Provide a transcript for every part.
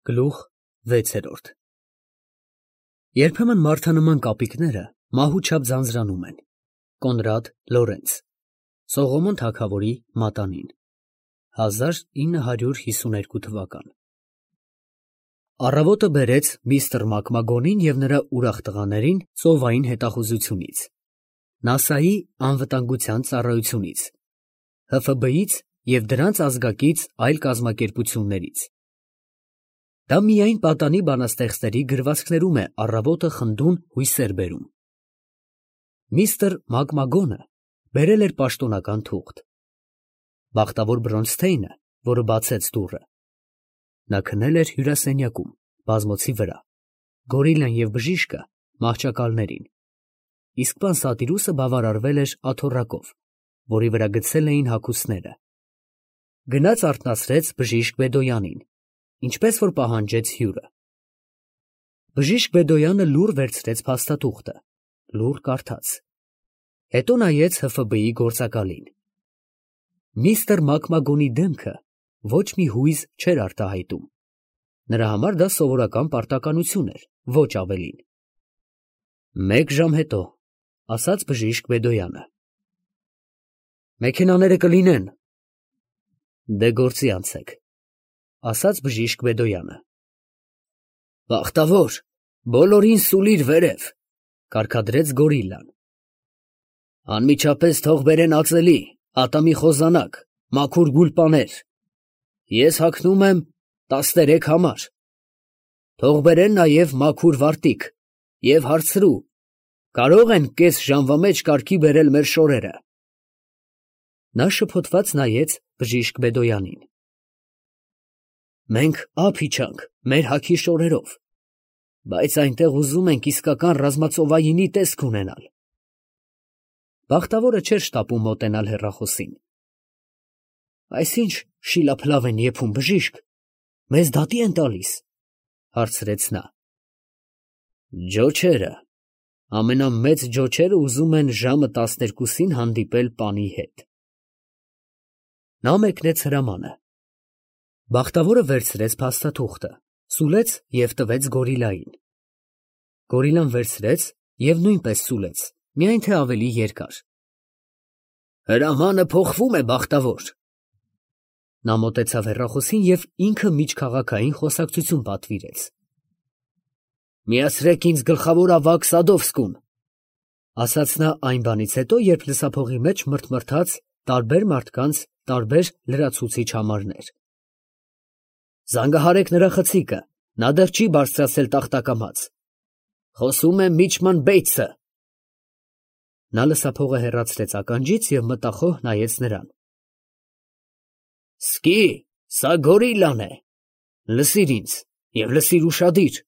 Գլուխ 6 Երբեմն մարդանման կապիկները մահուչափ ձանձրանում են։ Կոնրադ Լորենց Սողոմոն թագավորի մատանին 1952 թվական Առավոտը բերեց միստր Մակմագոնին և նրա ուրախ տղաներին ծովային հետախուզությունից, ՆԱՍԱ-ի անվտանգության ծառայությունից, ՀՖԲ-ից և դրանց ազգակից այլ կազմակերպություններից։ Դա միայն պատանի բանաստեղծների գրվածքներում է առավոտը խնդուն հույսեր բերում։ Միստր Մակմագոնը բերել էր պաշտոնական թուղթ։ Բախտավոր Բրոնստեյնը, որը բացեց դուռը, նա քնել էր հյուրասենյակում, բազմոցի վրա, Գորիլան և բժիշկը մահճակալներին, իսկ պան Սատիրուսը բավարարվել էր աթոռակով, որի վրա գցել էին հագուստները։ Գնաց արթնացրեց բժիշկ Բեդոյանին, ինչպես որ պահանջեց հյուրը։ Բժիշկ Բեդոյանը լուռ վերցրեց փաստաթուղթը, լուռ կարդաց, հետո նայեց ՀՖԲ-ի գործակալին։ Միստր Մակմագոնի դեմքը ոչ մի հույզ չէր արտահայտում, նրա համար դա սովորական պարտականություն էր, ոչ ավելին։ «Մեկ ժամ հետո», ասաց բժիշկ Բեդոյանը։ «Մեքենաները կլինեն»։ «Դե գործի անցեք», ասաց բժիշկ Բեդոյանը։ «Բախտավոր, բոլորին սուլիր վերև», կարգադրեց Գորիլան։ «Անմիջապես թող բերեն ածելի, ատամի խոզանակ, մաքուր գուլպաներ։ Ես հագնում եմ 13 համար։ Թող բերեն նաև մաքուր վարտիք և հարցրու, կարո՞ղ են կես ժամվա մեջ կարգի բերել մեր շորերը»։ Նա շփոթված նայեց բժիշկ Բեդոյանին։ «Մենք ափ իջանք մեր հագի շորերով, բայց այնտեղ ուզում ենք իսկական ռազմածովայինի տեսք ունենալ»։ Բախտավորը չէր շտապում մոտենալ հեռախոսին։ «Այս ի՞նչ շիլափլավ են եփում, բժիշկ, մեզ դատի են տալիս», հարցրեց նա։ «Ջոչերը, ամենամեծ ջոչերը ուզում են ժամը 12-ին հանդիպել պանի հետ»։ Նա մեկնեց հրամանը։ Բախտավորը վերցրեց փաստաթուղթը, սուլեց և տվեց Գորիլային։ Գորիլան վերցրեց և նույնպես սուլեց, միայն թե ավելի երկար։ «Հրամանը փոխվում է, բախտավոր»։ Նա մոտեցավ հեռախոսին և ինքը միջքաղաքային խոսակցություն պատվիրեց։ «Միացրեք ինձ գլխավոր ավագ Սադովսկուն», ասաց նա այն բանից հետո, երբ լսափողի մեջ մրթմրթաց տարբեր մարդկանց տարբեր լրացուցիչ համարներ։ «Զանգահարեք նրա խցիկը, նա դեռ չի բարձրացել տախտակամաց։ Խոսում է միջման Բեյցը»։ Նա լսափողը հեռացրեց ականջից և մտախոհ նայեց նրան։ «Սկի, սա Գորիլան է, լսիր ինձ և լսիր ուշադիր,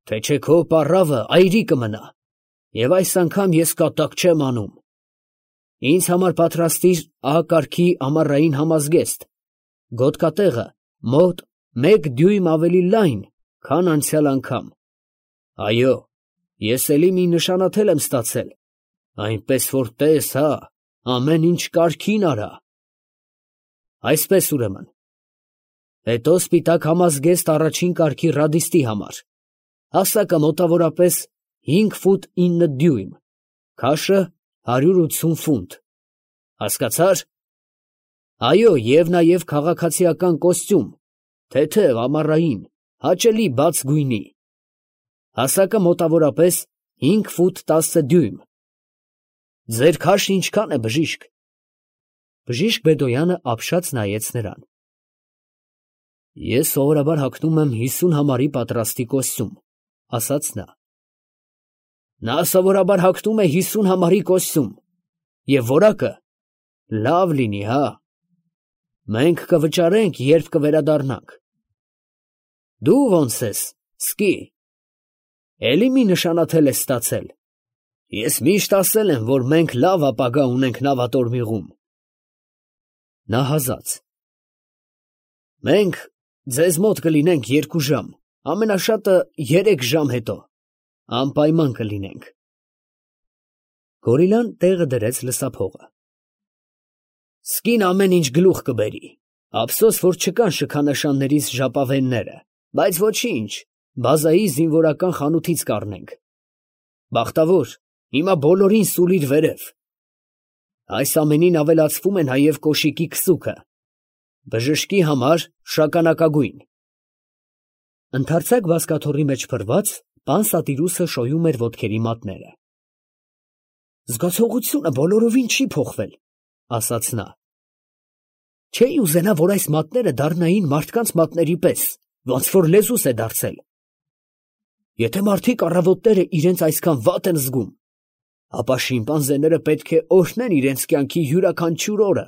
թե չէ քո պառավը այրի կմնա, և այս անգամ ես կատակ չեմ անում։ Ինձ համար պատրաստիր A կարգի ամառային համազգեստ, գոտկատեղը մոտ 1 դյույմ ավելի լայն, քան անցյալ անգամ։ Այո, ես էլի մի նշանաթել եմ ստացել, այնպես որ տես հա, ամեն ինչ կարգին արա։ Այսպես ուրեմն։ Հետո սպիտակ համազգեստ առաջին կարգի ռադիստի համար, հասակը մոտավորապես 5 ֆուտ 9 դյույմ, քաշը 180 ֆունտ։ Հասկացա՞ր։ Այո, և նաև քաղաքացիական կոստյում, թեթև ամառային, հաճելի բաց գույնի։ Հասակը մոտավորապես 5 ֆուտ 10 դյույմ։ Ձեր քաշն ինչքան է, բժիշկ։ Բժիշկ Բեդոյանը ապշած նայեց նրան։ Ես սովորաբար հագնում եմ 50 համարի պատրաստի կոստյում, ասաց նա։ Նա սովորաբար հագնում է 50 համարի կոստյում, և որակը լավ լինի, հա։ Մենք կվճարենք, երբ կվերադառնանք։ Դու ո՞նց ես, Սկի, էլի մի նշանաթել ես ստացել։ Ես միշտ ասել եմ, որ մենք լավ ապագա ունենք նավատորմիղում։ Նա հազաց։ Մենք ձեզ մոտ կլինենք 2 ժամ, ամենաշատը 3 ժամ հետո, անպայման կլինենք։ Գորիլան տեղը դրեց լսափողը։ Սկին ամեն ինչ գլուխ կբերի, ափսոս, որ չկան շքանշաններիս ժապավենները, բայց ոչինչ, բազայի զինվորական խանութից կառնենք։ Բախտավոր, հիմա բոլորին սուլիր վերև։ Այս ամենին ավելացվում է նաև կոշիկի քսուկը։ Բժշկի համար շագանակագույն։ Ընդարձակ բազկաթոռի մեջ փռված, պան Սատիրուսը շոյում էր ոտքերի մատները։ Զգացողությունը բոլորովին չի փոխվել, ասաց նա։ Չէի ուզենա, որ այս մատները դառնային մարդկանց մատների պես, ոնց որ լեզուս է դարձել։ Եթե մարդիկ առավոտները իրենց այսքան վատ են զգում, ապա շիմպանզեները պետք է օրհնեն իրենց կյանքի յուրաքանչյուր օրը։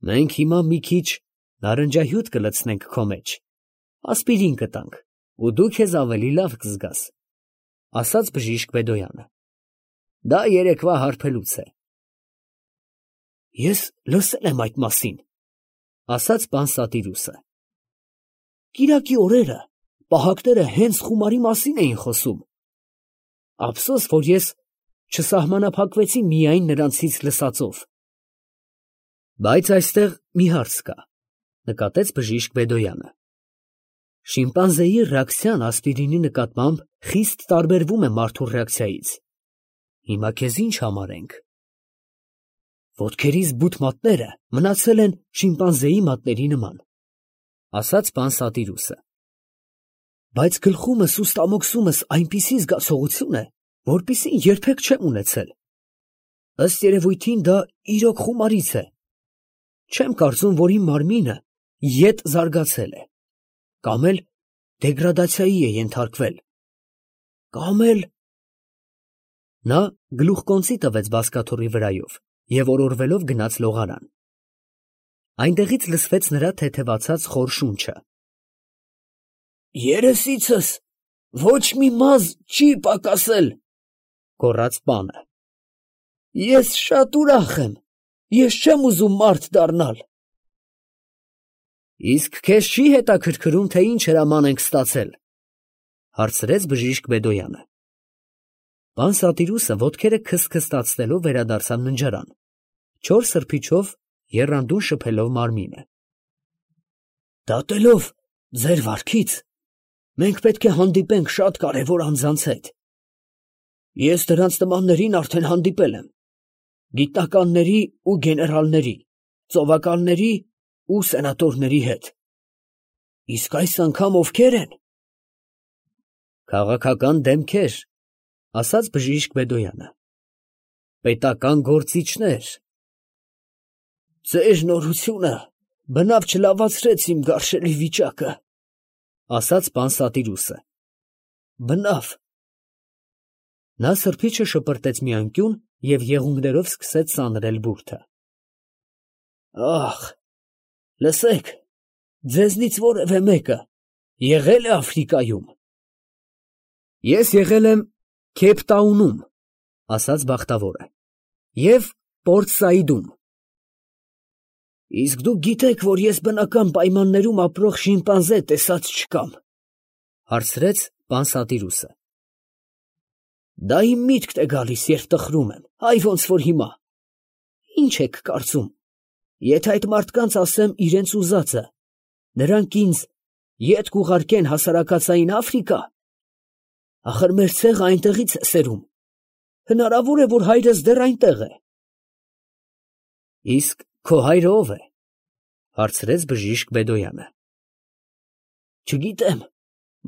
Մենք հիմա մի քիչ նարնջահյութ կլցնենք քո մեջ, ասպիրին կտանք, ու դու քեզ ավելի լավ կզգաս, ասաց բժիշկ Բեդոյանը։ Դա երեկվա հարբելուց է։ Ես լսել եմ այդ մասին, ասաց պան Սատիրուսը։ Կիրակի օրերը պահակները հենց խումարի մասին էին խոսում։ Ափսոս, որ ես չսահմանափակվեցի միայն նրանցից լսածով։ Բայց այստեղ մի հարց կա, նկատեց բժիշկ Բեդոյանը։ Շիմպանզեի ռեակցիան ասպիրինի նկատմամբ խիստ տարբերվում է մարդու ռեակցիայից։ Հիմա քեզ ինչ համարենք։ Ոտքերիս բութ մատները մնացել են շիմպանզեի մատների նման, ասաց պան Սատիրուսը։ Բայց գլխումս ու ստամոքսումս այնպիսի զգացողություն է, որպիսին երբեք չեմ ունեցել։ Ըստ երևույթին դա իրոք խումարից է։ Չեմ կարծում, որ իմ մարմինը ետ զարգացել է, կամ էլ դեգրադացիայի է ենթարկվել, կամ էլ… Նա գլուխկոնծի տվեց բազկաթոռի վրայով և օրորվելով գնաց լողարան։ Այնտեղից լսվեց նրա թեթևացած խոր շունչը։ Երեսիցս ոչ մի մազ չի պակասել, գոռաց պանը։ Ես շատ ուրախ եմ, ես չեմ ուզում մարդ դառնալ։ Իսկ քեզ չի հետաքրքրում, թե ինչ հրաման ենք ստացել, հարցրեց բժիշկ Բեդոյանը։ Պան Սատիրուսը ոտքերը քստքստացնելով վերադարձավ ննջարան, չոր սրբիչով եռանդուն շփելով մարմինը։ Դատելով ձեր վարքից, մենք պետք է հանդիպենք շատ կարևոր անձանց հետ։ Ես դրանց նմաններին արդեն հանդիպել եմ, գիտնականների ու գեներալների, ծովակալների ու սենատորների հետ։ Իսկ այս անգամ ովքեր են։ Քաղաքական դեմքեր, ասաց բժիշկ Բեդոյանը։ Պետական գործիչներ։ Ձեր նորությունը բնավ չլավացրեց իմ գարշելի վիճակը, ասաց պան Սատիրուսը։ Բնավ։ Նա սրբիչը շպրտեց մի անկյուն և եղունգներով սկսեց սանրել բուրդը։ Ախ, լսեք, ձեզնից որևէ մեկը եղե՞լ է Աֆրիկայում։ Ես եղել եմ Քեյփտաունում, ասաց բախտավորը, և Պորտ Սաիդում։ Իսկ դուք գիտեք, որ ես բնական պայմաններում ապրող շիմպանզե տեսած չկամ, հարցրեց պան Սատիրուսը։ Դա իմ միտքն է գալիս, երբ տխրում եմ, այ ոնց որ հիմա։ Ինչ եք կարծում, եթե այդ մարդկանց ասեմ իրենց ուզածը, նրանք ինձ ետ կուղարկեն հասարակածային Աֆրիկա։ Ախր մեր ցեղը այնտեղից է սերում։ Հնարավոր է, որ հայրս դեռ այնտեղ է։ Իսկ քո հայրը ով է, հարցրեց բժիշկ Բեդոյանը։ Չգիտեմ,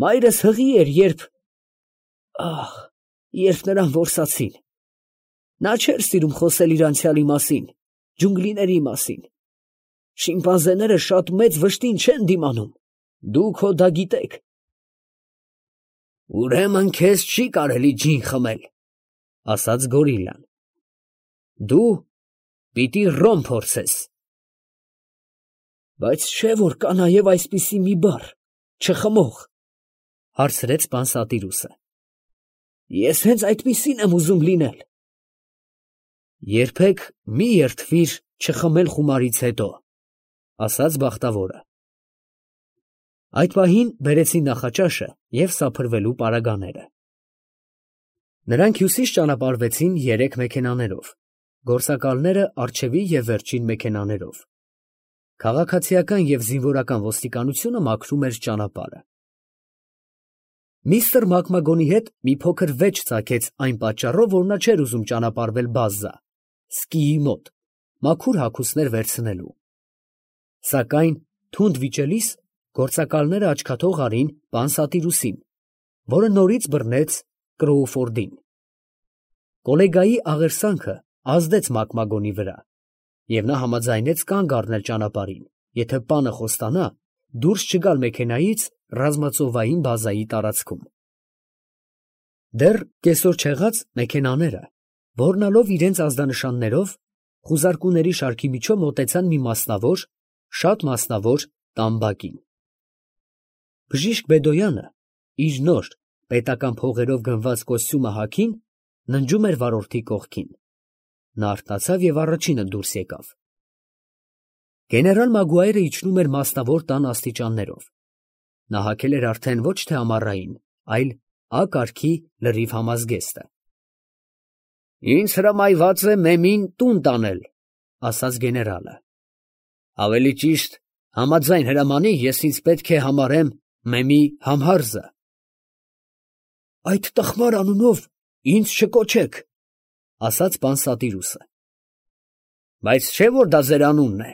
մայրս հղի էր, երբ նրան որսացին։ Նա չէր սիրում խոսել իր անցյալի մասին, ջունգլիների մասին։ Շիմպանզեները շատ մեծ վշտին չեն դիմանում, դուք հո դա գիտեք։ Ուրեմն քեզ չի կարելի ջին խմել, ասաց գորիլլան։ Դու պիտի ռոմ փորձես։ Բայց չէ՞ որ կա նաև այսպիսի մի բառ, չխմող, հարցրեց պան Սատիրուսը։ Ես հենց այդպիսին եմ ուզում լինել։ Երբեք մի երդվիր չխմել խումարից հետո, ասաց բախտավորը։ Այդ պահին բերեցին նախաճաշը և սափրվելու պարագաները։ Նրանք հյուսիս ճանապարհվեցին 3 մեքենաներով, գործակալները առջևի և վերջին մեքենաներով։ Քաղաքացիական և զինվորական ոստիկանությունը մաքրում էր ճանապարհը։ Միստր Մակմագոնի հետ մի փոքր վեճ ծագեց այն պատճառով, որ նա չէր ուզում ճանապարհվել բազա, սկիի մոտ, մաքուր հագուստներ վերցնելու։ Սակայն թունդ վիճելիս գործակալները աչքաթող արին Պանսատիրուսին, որը նորից բռնեց Կրոուֆորդին։ Կոլեգայի աղերսանքը ազդեց Մակմագոնի վրա, և նա համաձայնեց կանգ առնել ճանապարհին, եթե պանը խոստանա դուրս չգալ մեքենայից ռազմածովային բազայի տարածքում։ Դեռ կեսօր չեղած մեքենաները, ոռնալով իրենց ազդանշաններով, խուզարկուների շարքի միջով մոտեցան մի մասնավոր, շատ մասնավոր տամբակին։ Բժիշկ Բեդոյանը իր նոր պետական փողերով գնված կոստյումը հագին ննջում էր վարորդի կողքին։ Նա արթնացավ և առաջինը դուրս եկավ։ Գեներալ Մագուայրը իջնում էր մասնավոր տան աստիճաններով։ Նա հագել էր արդեն ոչ թե ամառային, այլ Ա կարգի լրիվ համազգեստը։ «Ինձ հրամայված է Մեմին տուն տանել», ֊ ասաց գեներալը։ «Ավելի ճիշտ, համաձայն հրամանի ես ինձ պետք է համարեմ Մեմի համհարզը»։ «Այդ տխմար անունով ինձ չկոչեք», ֊ ասաց Պանսատիրուսը։ «Բայց չէ՞ որ դա ձեր անունն է։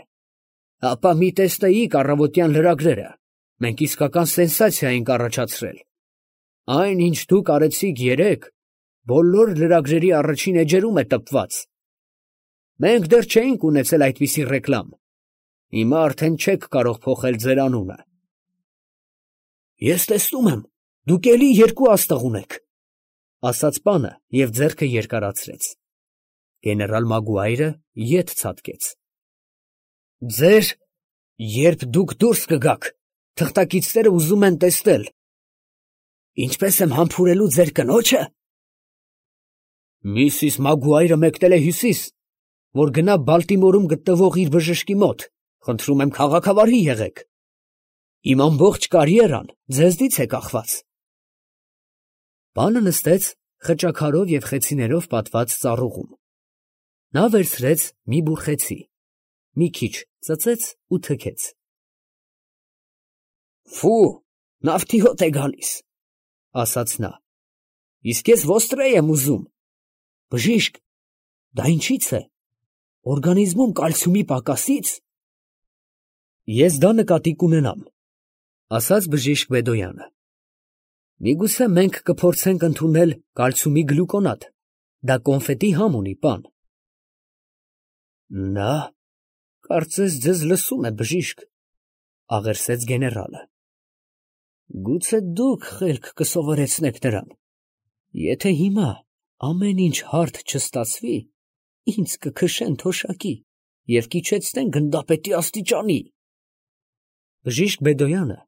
Ապա մի տեսնեիք առավոտյան լրագրերը, մենք իսկական սենսացիա ենք առաջացրել։ Այն, ինչ դուք արեցիք երեկ, բոլոր լրագրերի առաջին էջերում է տպված։ Մենք դեռ չէինք ունեցել այդպիսի ռեկլամ։ Հիմա արդեն չեք կարող փոխել ձեր անունը»։ «Ես տեսնում եմ, դուք էլի երկու աստղ ունեք», ֊ ասաց պանը և ձեռքը երկարացրեց։ Գեներալ Մագուայրը ետ ցատկեց։ «Երբ դուք դուրս կգաք, թղթակիցները ուզում են տեսնել, ինչպես եմ համբուրելու ձեր կնոջը»։ «Միսիս Մագուայրը մեկնել է Հյուսիս, որ գնա Բալտիմորում գտնվող իր բժշկի մոտ, խնդրում եմ քաղաքավարի եղեք։ Իմ ամբողջ կարիերան ձեզնից է կախված»։ Պանը նստեց խճաքարով և խեցիներով պատված ծառուղում։ Նա վերցրեց մի բուռ խեցի, մի քիչ ծծեց ու թքեց։ «Ֆու, նավթի հոտ է գալիս», ֊ ասաց նա։ «Իսկ ես ոստրե եմ ուզում»։ «Բժիշկ, դա ինչի՞ց է, օրգանիզմում կալցիումի պակասի՞ց»։ «Ես դա նկատի կունենամ», ֊ ասաց բժիշկ Բեդոյանը։ «Միգուցե մենք կփորձենք ընդունել կալցիումի գլյուկոնատ, դա կոնֆետի համ ունի, պան»։ «Նա կարծես ձեզ լսում է, բժիշկ», ֊ աղերսեց գեներալը։ «Գուցե դուք խելք կսովորեցնեք նրան։ Եթե հիմա ամեն ինչ հարթ չստացվի, ինձ կքշեն թոշակի և կիջեցնեն գնդապետի աստիճանի»։ Բժիշկ Բեդոյանը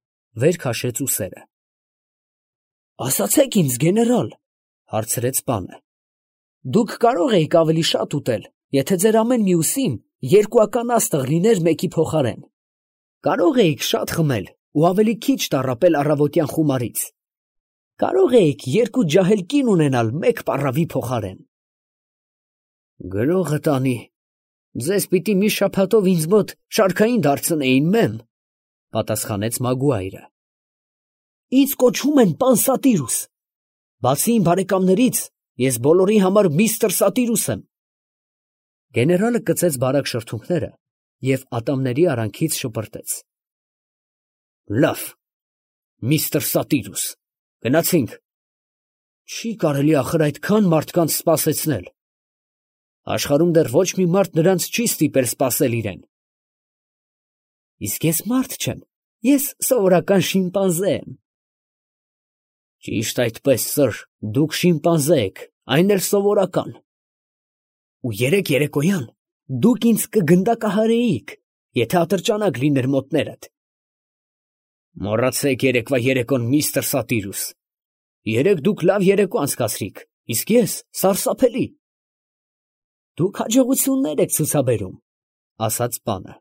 վեր քաշեց ուսերը։ «Ասացեք ինձ, գեներալ, ֊ հարցրեց պանը, ֊ դուք կարող էիք ավելի շատ ուտել, եթե ձեր ամեն մյուսին երկուական աստղ լիներ մեկի փոխարեն։ Կարող էիք շատ խմել ու ավելի քիչ տառապել առավոտյան խումարից։ Կարող էիք երկու ջահել կին ունենալ մեկ պառավի փոխարեն»։ «Գրողը տանի, ձեզ պիտի մի շաբաթով ինձ մոտ շարքային դարձնեին, մեմ», ֊ պատասխանեց Մագուայրը։ «Ինձ կոչում են պան Սատիրուս։ Բացի իմ բարեկամներից, ես բոլորի համար միստր Սատիրուս եմ»։ Գեներալը կծեց բարակ շրթունքները և ատամների արանքից շպրտեց։ «Լավ, միստր Սատիրուս, գնացինք։ Չի կարելի ախր այդքան մարդկանց սպասեցնել։ Աշխարհում դեռ ոչ մի մարդ նրանց չի ստիպել սպասել իրեն»։ «Իսկ ես մարդ չեմ, ես սովորական շիմպանզե եմ»։ «Ճիշտ այդպես, սըր, դուք շիմպանզե եք, այն էլ սովորական։ Ու երեկ երեկոյան դուք ինձ կգնդակահարեիք, եթե ատրճանակ լիներ մոտներդ»։ «Մոռացեք երեկվա երեկոն, միստր Սատիրուս։ Երեկ դուք լավ երեկո անցկացրիք, իսկ ես սարսափելի»։ «Դուք հաջողություններ եք ցուցաբերում», ֊ ասաց պանը։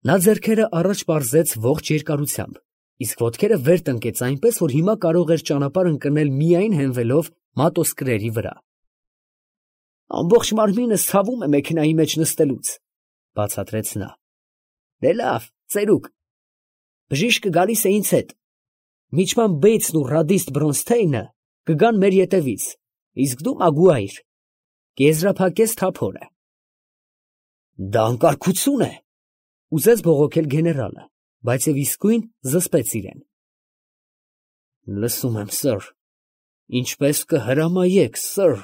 Նա ձեռքերը առաջ պարզեց ողջ երկարությամբ, իսկ ոտքերը վեր տնկեց այնպես, որ հիմա կարող էր ճանապարհ ընկնել միայն հենվելով մատոսկրերի վրա։ «Ամբողջ մարմինս ցավում է մեքենայի մեջ նստելուց», ֊ բացատրեց նա։ Դե լավ, ծերուկ, բժիշկը գալիս է ինձ հետ, միջման Բեյցն ու ռադիստ Բրոնսթեյնը կգան մեր ետևից, իսկ դու մագուայր, կեզրափակես թափորը։ Դա անկարգություն է, ուզեց բողոքել գեներալը, բայց եւ իսկույն զսպեց իրեն։ Լսում եմ, սըր, ինչպես կհրամայեք, սըր։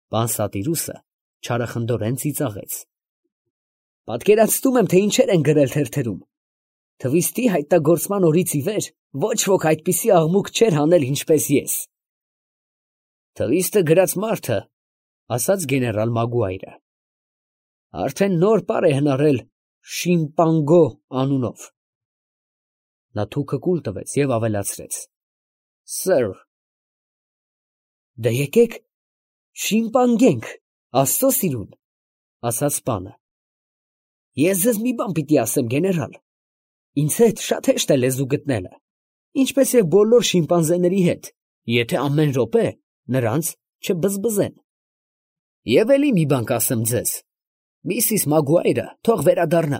Պան Սատիրուսը չարախնդորեն ծիծաղեց։ Պատկերացնում եմ, թե ինչեր են գրել թերթերում։ Թվիստի հայտնագործման օրից ի վեր ոչ ոք այդպիսի աղմուկ չէր հանել, ինչպես ես։ Թվիստը գրած մարդը, ասաց գեներալ Մագուայրը, արդեն նոր պար է հնարել Շիմպանգո անունով։ Նա թուքը կուլ տվեց և ավելացրեց. Սըր, դե եկեք շիմպանգենք, աստծո սիրուն, ասաց պանը։ Ես ձեզ մի բան պիտի ասեմ, գեներալ, ինձ հետ շատ հեշտ է լեզու գտնելը, ինչպես և բոլոր շիմպանզեների հետ, եթե ամեն րոպե նրանց չբզբզեն։ Եվ էլի մի բան կասեմ ձեզ, Միսիս Մագուայրը թող վերադառնա,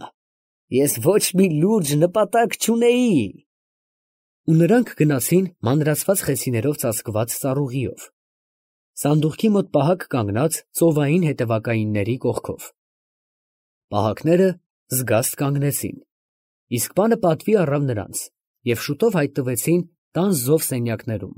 ես ոչ մի լուրջ նպատակ չունեի։ Ու նրանք գնացին մանրացված խեցիներով ծածկված ծառուղիով, սանդուղքի մոտ պահակ կանգնած ծովային հետևակայինների կողքով։ Պահակները զգաստ կանգնեցին, իսկ պանը պատվի առավ նրանց և շուտով հայտնվեցին տան զով սենյակներում։